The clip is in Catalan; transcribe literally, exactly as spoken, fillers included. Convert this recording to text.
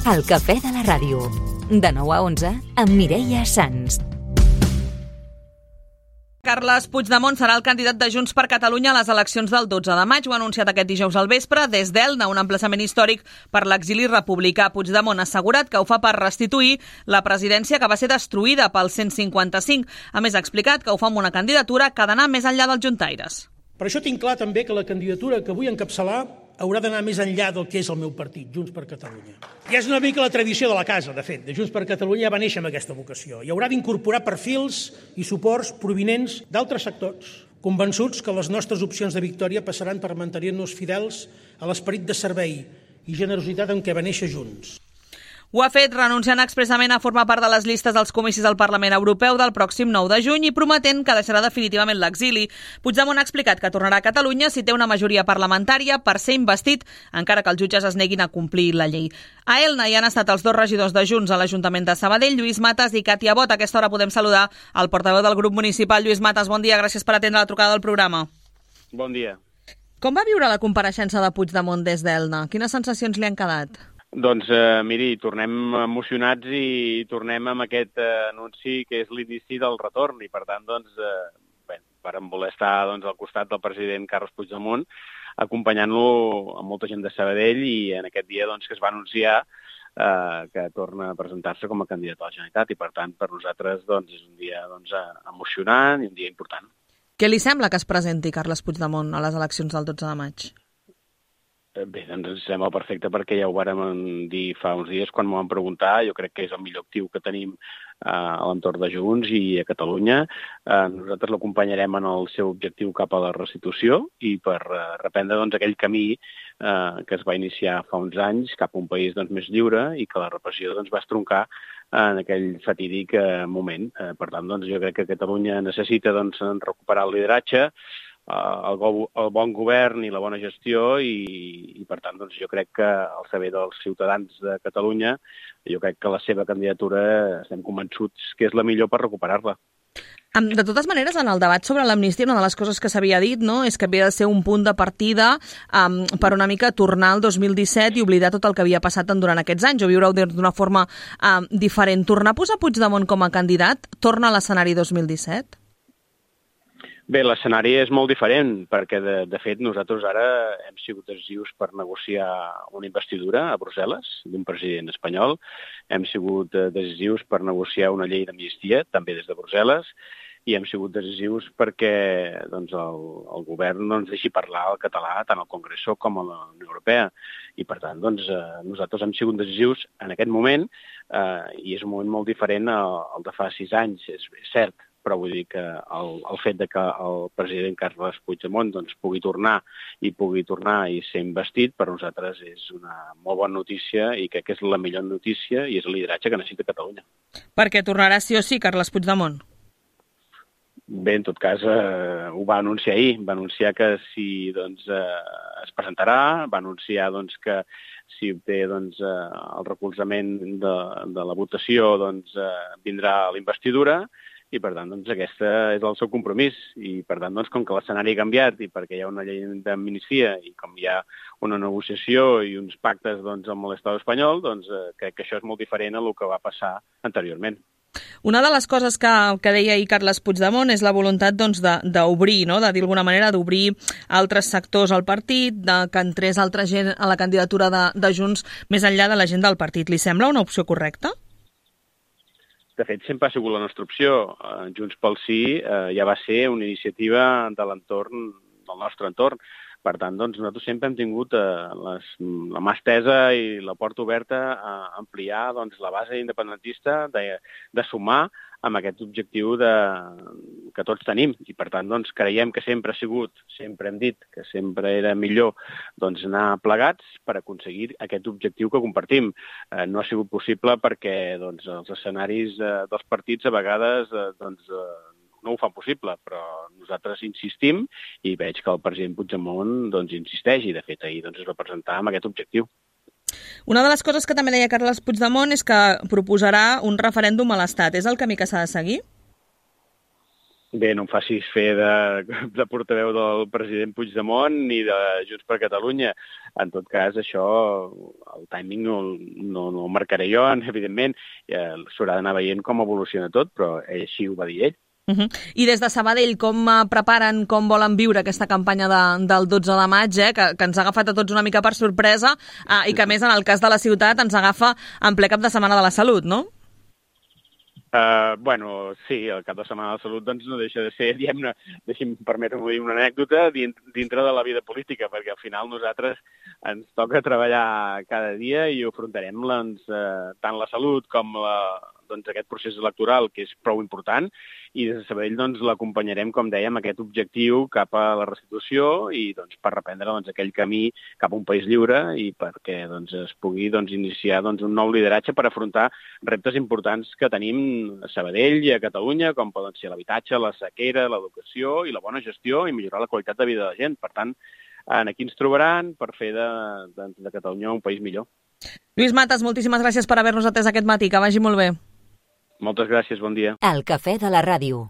El cafè de la ràdio. De nou a onze, amb Mireia Sans. Carles Puigdemont serà el candidat de Junts per Catalunya a les eleccions del dotze de maig. Ho ha anunciat aquest dijous al vespre des d'Elna, un emplaçament històric per l'exili republicà. Puigdemont ha assegurat que ho fa per restituir la presidència que va ser destruïda pel cent cinquanta-cinc. A més, ha explicat que ho fa amb una candidatura que ha d'anar més enllà dels juntaires. Per això tinc clar també que la candidatura que vull encapçalar haurà d'anar més enllà del que és el meu partit, Junts per Catalunya. I és una mica la tradició de la casa, de fet, de Junts per Catalunya ja va néixer amb aquesta vocació. I haurà d'incorporar perfils i suports provinents d'altres sectors, convençuts que les nostres opcions de victòria passaran per mantenir-nos fidels a l'esperit de servei i generositat amb què va néixer Junts. Ho ha fet renunciant expressament a formar part de les llistes dels comicis del Parlament Europeu del pròxim nou de juny i prometent que deixarà definitivament l'exili. Puigdemont ha explicat que tornarà a Catalunya si té una majoria parlamentària per ser investit, encara que els jutges es neguin a complir la llei. A Elna hi han estat els dos regidors de Junts a l'Ajuntament de Sabadell, Lluís Matas i Càtia Bot. A aquesta hora podem saludar el portaveu del grup municipal, Lluís Matas. Bon dia, gràcies per atendre la trucada del programa. Bon dia. Com va viure la compareixença de Puigdemont des d'Elna? Quines sensacions li han quedat? Doncs, eh, miri, tornem emocionats i tornem amb aquest eh, anunci que és l'inici del retorn i, per tant, doncs, eh, bé, vàrem voler estar doncs, al costat del president Carles Puigdemont acompanyant-lo amb molta gent de Sabadell i en aquest dia doncs, que es va anunciar eh, que torna a presentar-se com a candidat a la Generalitat i, per tant, per nosaltres doncs, és un dia doncs, emocionant i un dia important. Què li sembla que es presenti Carles Puigdemont a les eleccions del dotze de maig? Bé, doncs ens sembla perfecte perquè ja ho vàrem dir fa uns dies quan m'ho van preguntar. Jo crec que és el millor actiu que tenim eh, a l'entorn de Junts i a Catalunya. Eh, nosaltres l'acompanyarem en el seu objectiu cap a la restitució i per eh, reprendre doncs, aquell camí eh, que es va iniciar fa uns anys cap a un país doncs, més lliure i que la repressió doncs, va estroncar en aquell fatídic eh, moment. Eh, per tant, doncs, jo crec que Catalunya necessita doncs, recuperar el lideratge, El, go el bon govern i la bona gestió i, i per tant, doncs, jo crec que al saber dels ciutadans de Catalunya, jo crec que la seva candidatura estem convençuts que és la millor per recuperar-la. De totes maneres, en el debat sobre l'amnistia, una de les coses que s'havia dit no, és que havia de ser un punt de partida um, per una mica tornar al dos mil disset i oblidar tot el que havia passat durant aquests anys o viure-ho d'una forma um, diferent. Tornar a posar Puigdemont com a candidat torna a l'escenari dos mil disset? Bé, l'escenari és molt diferent, perquè, de, de fet, nosaltres ara hem sigut decisius per negociar una investidura a Brussel·les d'un president espanyol, hem sigut decisius per negociar una llei d'amnistia, també des de Brussel·les, i hem sigut decisius perquè doncs, el, el govern doncs, deixi parlar el català tant al Congreso com a la Unió Europea. I, per tant, doncs, nosaltres hem sigut decisius en aquest moment eh, i és un moment molt diferent al, al de fa sis anys, és, és cert. Però vull dir que el, el fet de que el president Carles Puigdemont doncs, pugui tornar i pugui tornar i ser investit, per nosaltres és una molt bona notícia i crec que és la millor notícia i és el lideratge que necessita Catalunya. Perquè tornarà sí o sí Carles Puigdemont? Bé, en tot cas, eh, ho va anunciar ahir. Va anunciar que si doncs, eh, es presentarà, va anunciar doncs, que si obté doncs, eh, el recolzament de, de la votació doncs, eh, vindrà a la investidura. I, per tant, doncs, aquesta és el seu compromís. I, per tant, doncs, com que l'escenari ha canviat i perquè hi ha una llei d'amnistia i com hi ha una negociació i uns pactes doncs, amb l'Estat espanyol, doncs, eh, crec que això és molt diferent a el que va passar anteriorment. Una de les coses que, que deia ahir Carles Puigdemont és la voluntat doncs, d'obrir, no? de dir d'alguna manera, d'obrir altres sectors al partit, de que entrés altra gent a la candidatura de, de Junts més enllà de la gent del partit. Li sembla una opció correcta? De fet, sempre ha sigut la nostra opció. Junts pel Sí eh, ja va ser una iniciativa de l'entorn, del nostre entorn. Per tant, doncs, nosaltres sempre hem tingut eh, les, la mà estesa i la porta oberta a ampliar doncs, la base independentista, de, de sumar amb aquest objectiu de, que tots tenim. I, per tant, doncs, creiem que sempre ha sigut, sempre hem dit que sempre era millor doncs, anar plegats per aconseguir aquest objectiu que compartim. Eh, no ha sigut possible perquè doncs, els escenaris eh, dels partits a vegades eh, doncs, eh, no ho fan possible, però nosaltres insistim i veig que el president Puigdemont doncs, insisteix i, de fet, ahir doncs, es va presentar amb aquest objectiu. Una de les coses que també deia Carles Puigdemont és que proposarà un referèndum a l'Estat. És el camí que s'ha de seguir? Bé, no em facis fer de, de portaveu del president Puigdemont ni de Junts per Catalunya. En tot cas, això, el timing no, no, no el marcaré jo, evidentment. Ja s'haurà d'anar veient com evoluciona tot, però així ho va dir ell. Uh -huh. I des de Sabadell, com preparen, com volen viure aquesta campanya de, del dotze de maig, eh, que, que ens ha agafat a tots una mica per sorpresa eh, i que, a més, en el cas de la ciutat, ens agafa en ple cap de setmana de la salut, no? Uh, bueno, sí, el cap de setmana de la salut doncs, no deixa de ser, diguem-ne, deixi'm permetre-m'ho dir, una anècdota dintre de la vida política, perquè al final nosaltres ens toca treballar cada dia i ho afrontarem doncs, uh, tant la salut com la, doncs, aquest procés electoral, que és prou important, i des de Sabadell doncs, l'acompanyarem, com dèiem, aquest objectiu cap a la restitució i doncs, per reprendre doncs, aquell camí cap a un país lliure i perquè doncs, es pugui doncs, iniciar doncs, un nou lideratge per afrontar reptes importants que tenim a Sabadell i a Catalunya, com poden ser l'habitatge, la sequera, l'educació i la bona gestió i millorar la qualitat de vida de la gent. Per tant, aquí ens trobaran per fer de, de, de Catalunya un país millor. Lluís Matas, moltíssimes gràcies per haver-nos atès aquest matí. Que vagi molt bé. Moltes gràcies, bon dia. El cafè de la ràdio.